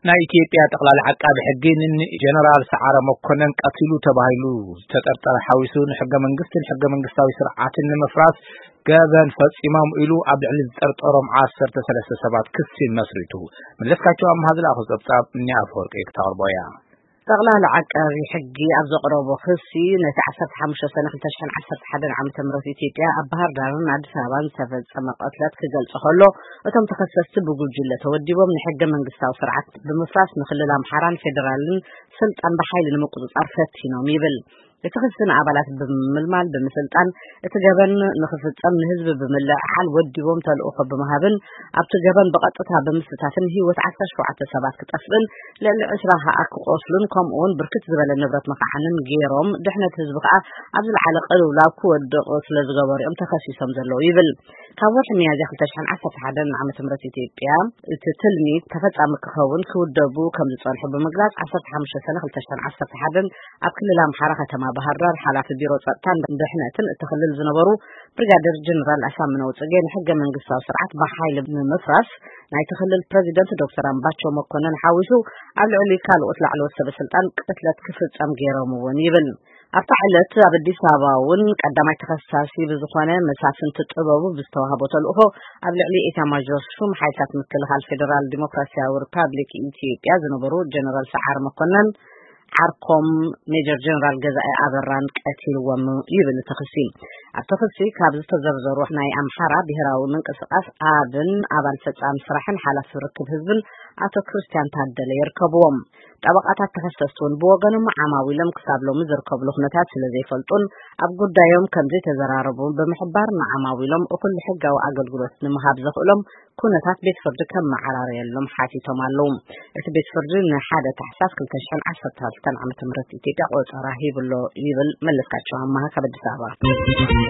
ናይ ኢትዮጵያ ጠቕላሊ ዓቃቢ ሕጊ ንጀነራል ሰዓረ መኮነን ቀቲሉ ተባሂሉ ዝተጠርጠረ ሓዊሱ ንሕገ መንግስትን ሕገ መንግስታዊ ስርዓትን ንምፍራስ ገበን ፈጺሞም ኢሉ ኣብ ልዕሊ ዝጠርጠሮም ዓሰርተ ሰለስተ ሰባት ክሲ መስሪቱ። መለስካቸው ኣምሃ ዝለኣኹ ጸብጻብ እኒ ኣፈወርቂ ክተቕርቦ እያ። ጠቕላሊ ዓቃቢ ሕጊ ኣብ ዘቕረቦ ክሲ ነቲ ዓሰርተ ሓሙሽተ ሰነ ክልተ ሽሕን ዓሰርተ ሓደን ዓመተ ምህረት ኢትዮጵያ ኣብ ባህር ዳርን ኣዲስ ኣበባን ዝተፈጸመ ቅትለት ክገልጾ ከሎ፣ እቶም ተኸሰስቲ ብጉጅለ ተወዲቦም ንሕገ መንግስታዊ ስርዓት ብምፍራስ ንክልል ኣምሓራን ፌደራልን ስልጣን ብሓይሊ ንምቁጽጻር ፈቲኖም ይብል። እቲ ክሲ ንኣባላት ብምምልማል፣ ብምስልጣን፣ እቲ ገበን ንኽፍጸም ንህዝቢ ብምልዕዓል፣ ወዲቦም ተልእኾ ብምሃብን ኣብቲ ገበን ብቐጥታ ብምስታፍን ህይወት ዓሰርተ ሸውዓተ ሰባት ክጠፍእን ልዕሊ ዕስራ ከኣ ክቆስሉን ከምኡውን ብርክት ዝበለ ንብረት መኻዓንን ገይሮም ድሕነት ህዝቢ ከኣ ኣብ ዝለዓለ ቅልውላው ክወድቕ ስለ ዝገበሩ እዮም ተኸሲሶም ዘለዉ ይብል። ካብ ወርሒ ሚያዝያ ክልተ ሽሕን ዓሰርተ ሓደን ዓመተ ምህረት ኢትዮጵያ እቲ ትልሚ ተፈጻሚ ክኸውን ክውደቡ ከም ዝጸንሑ ብምግላጽ ዓሰርተ ሓሙሽተ ሰነ ክልተ ሽሕን ዓሰርተ ሓደን ኣብ ክልል ኣምሓራ ከተማ ባህር ዳር ሓላፊ ቢሮ ጸጥታን ድሕነትን እቲ ክልል ዝነበሩ ብሪጋደር ጀነራል ኣሳምነው ጽጌ ንሕገ መንግስታዊ ስርዓት ብሓይሊ ንምፍራስ ናይቲ ክልል ፕረዚደንት ዶክተር ኣምባቸው መኮነን ሓዊሱ ኣብ ልዕሊ ካልኦት ላዕለዎት ሰበ ስልጣን ቅትለት ክፍጸም ገይሮም እውን ይብል። ኣብታ ዕለት ኣብ ኣዲስ ኣበባ እውን ቀዳማይ ተኸሳሲ ብዝኾነ መሳፍንቲ ጥበቡ ብዝተዋህቦ ተልእኾ ኣብ ልዕሊ ኤታማዦር ሹም ሓይልታት ምክልኻል ፌደራል ዲሞክራሲያዊ ሪፓብሊክ ኢትዮጵያ ዝነበሩ ጀነራል ሰዓር መኮነን ዓርኮም ሜጀር ጀነራል ገዛኢ ኣበራን ቀቲልዎም ይብል እቲ ክሲ። ኣብቲ ክሲ ካብ ዝተዘርዘሩ ናይ ኣምሓራ ብሄራዊ ምንቅስቃስ ኣብን ኣባል ፈጻሚ ስራሕን ሓላፊ ርክብ ህዝብን ኣቶ ክርስቲያን ታደለ ይርከብዎም። ጠበቃታት ተኸሰስቲ እውን ብወገኖም ዓማዊሎም ክሳብ ሎሚ ዝርከብሉ ኩነታት ስለ ዘይፈልጡን ኣብ ጉዳዮም ከም ዘይተዘራረቡ ብምሕባር ንዓማዊሎም እኹል ሕጋዊ ኣገልግሎት ንምሃብ ዘኽእሎም ኩነታት ቤት ፍርዲ ከመዓራረየሎም ሓቲቶም ኣለዉ። እቲ ቤት ፍርዲ ንሓደ ታሕሳስ ክልተ ሽሕን ዓሰርተ ክልተን ዓመተ ምህረት ኢትዮጵያ ቆጸራ ሂብሎ ይብል መለስካቸው ኣማሃ ካብ ኣዲስ ኣበባ።